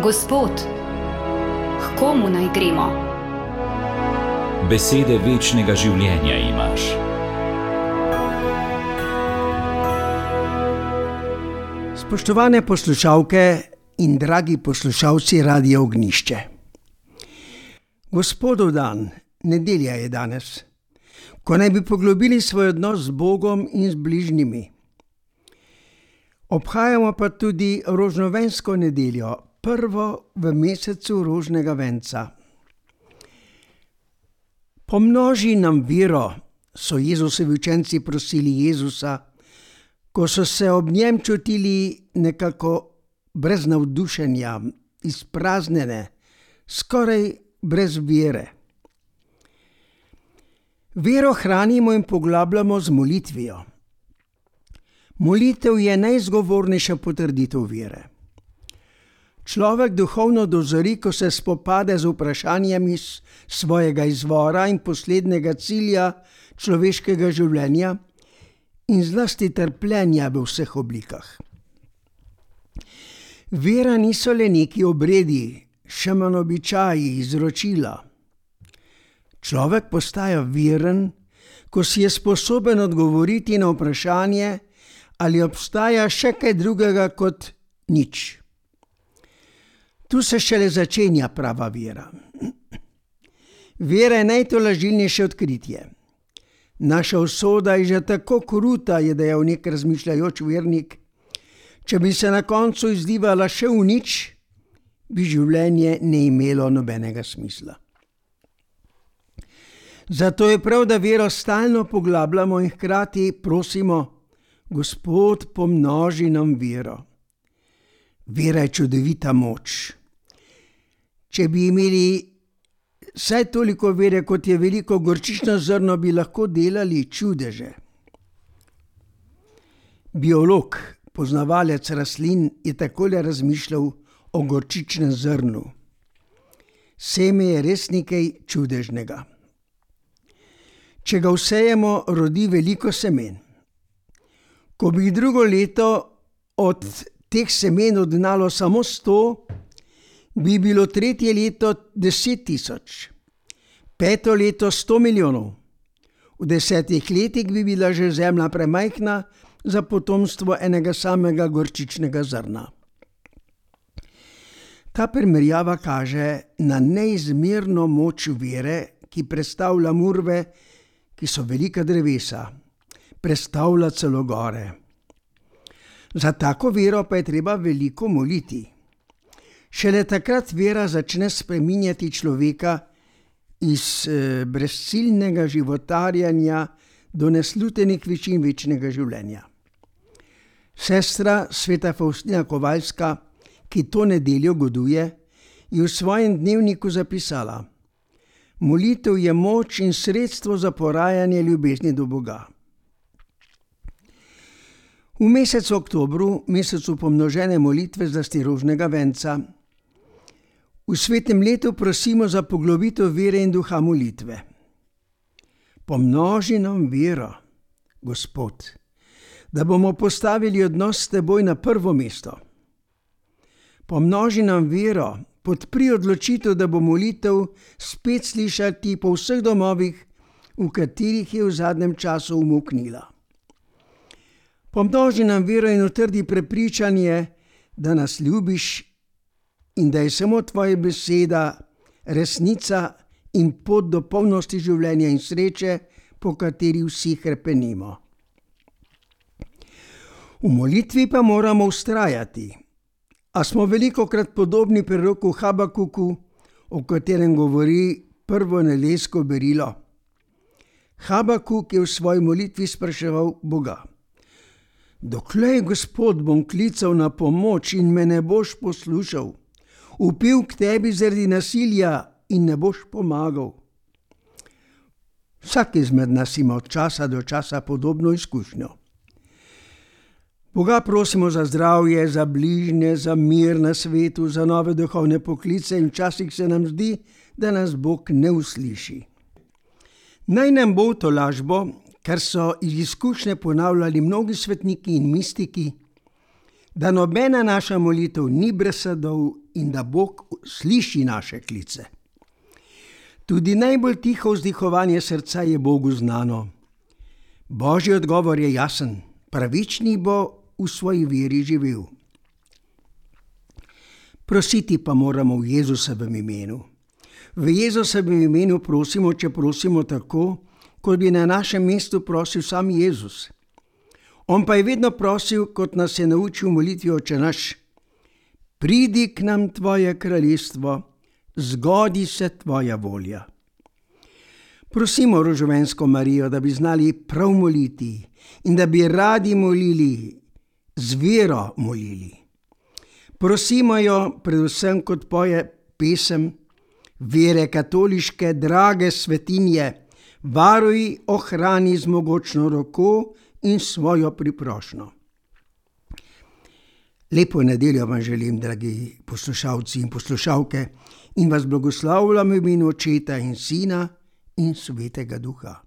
Gospod, k komu naj gremo? Besede večnega življenja imaš. Spoštovane poslušalke in dragi poslušalci Radia Ognjišče. Gospodov dan, nedelja je danes, ko naj bi poglobili svoj odnos z Bogom in z bližnjimi. Obhajamo pa tudi rožnovensko nedeljo, prvo v mesecu rožnega venca. Pomnoži nam vero, so Jezusovi učenci prosili Jezusa, ko so se ob njem čutili nekako brez navdušenja, izpraznjene, skoraj brez vere. Vero hranimo in poglabljamo z molitvijo. Molitev je najzgovornejša potrditev vere. Človek duhovno dozori, ko se spopade z vprašanjami svojega izvora in poslednjega cilja človeškega življenja in zlasti trpljenja v vseh oblikah. Vera niso le neki obredi, še manj običaji, izročila. Človek postaja veren, ko si je sposoben odgovoriti na vprašanje, ali obstaja še kaj drugega kot nič. Tu se šele začenja prava vera. Vera je najtolažilnejše odkritje. Naša usoda je že tako kruta, je dejal nek razmišljajoč vernik. Če bi se na koncu izlivala še v nič, bi življenje ne imelo nobenega smisla. Zato je prav, da vero stalno poglabljamo in hkrati prosimo: Gospod, pomnoži nam vero. Vera je čudovita moč. Če bi imeli vsaj toliko vere, kot je veliko gorčično zrno, bi lahko delali čudeže. Biolog, poznavalec rastlin, je takole razmišljal o gorčičnem zrnu. Seme je res nekaj čudežnega. Če ga vsejemo, rodi veliko semen. Ko bi drugo leto od teh semen odgnalo samo 100, bi bilo tretje leto 10 000, peto leto 100 milijonov. V 10 letih bi bila že zemlja premajhna za potomstvo enega samega gorčičnega zrna. Ta primerjava kaže na neizmerno moč vere, ki prestavlja murve, ki so velika drevesa, prestavlja celo gore. Za tako vero pa je treba veliko moliti. Šele takrat vera začne spreminjati človeka iz brezciljnega životarjanja do neslutenih višin večnega življenja. Sestra sveta Faustina Kovalska, ki to nedeljo goduje, je v svojem dnevniku zapisala: Molitev je moč in sredstvo za porajanje ljubezni do Boga. V mesecu oktobru, mesecu pomnožene molitve zlasti rožnega venca, v svetem letu prosimo za poglobitev vere in duha molitve. Pomnoži nam vero, Gospod, da bomo postavili odnos s teboj na prvo mesto. Pomnoži nam vero, podpri odločitev, da bo molitev spet slišati po vseh domovih, v katerih je v zadnjem času umuknila. Pomnoži nam vero in utrdi prepričanje, da nas ljubiš in da je samo tvoja beseda resnica in pot do polnosti življenja in sreče, po kateri vsi hrepenimo. V molitvi pa moramo vztrajati, a smo velikokrat podobni preroku Habakuku, o katerem govori prvo nedeljsko berilo. Habakuk je v svoji molitvi spraševal Boga: Doklej, Gospod, bom klical na pomoč in me ne boš poslušal, vpil k tebi zaradi nasilja in ne boš pomagal. Vsak izmed nas ima od časa do časa podobno izkušnjo. Boga prosimo za zdravje, za bližnje, za mir na svetu, za nove duhovne poklice in včasih se nam zdi, da nas Bog ne usliši. Naj nam bo to lažbo, kar so iz izkušnje ponavljali mnogi svetniki in mistiki, da nobena naša molitev ni brez sadov in da Bog sliši naše klice. Tudi najbolj tiho vzdihovanje srca je Bogu znano. Božji odgovor je jasen, pravični bo v svoji veri živel. Prositi pa moramo v Jezusovem imenu. V Jezusovem imenu prosimo, če prosimo tako, kot bi na našem mestu prosil sam Jezus. On pa je vedno prosil, kot nas je naučil v molitvi Oče naš: Pridi k nam tvoje kraljestvo, zgodi se tvoja volja. Prosimo rožovensko Marijo, da bi znali prav moliti in da bi radi molili, z vero molili. Prosimo jo predvsem, kot poje pesem: Vere katoliške, drage svetinje, varuj, ohrani z mogočno roko in svojo priprošnjo. Lepo nedeljo vam želim, dragi poslušalci in poslušalke, in vas blagoslavljam v imenu Očeta in Sina in Svetega Duha.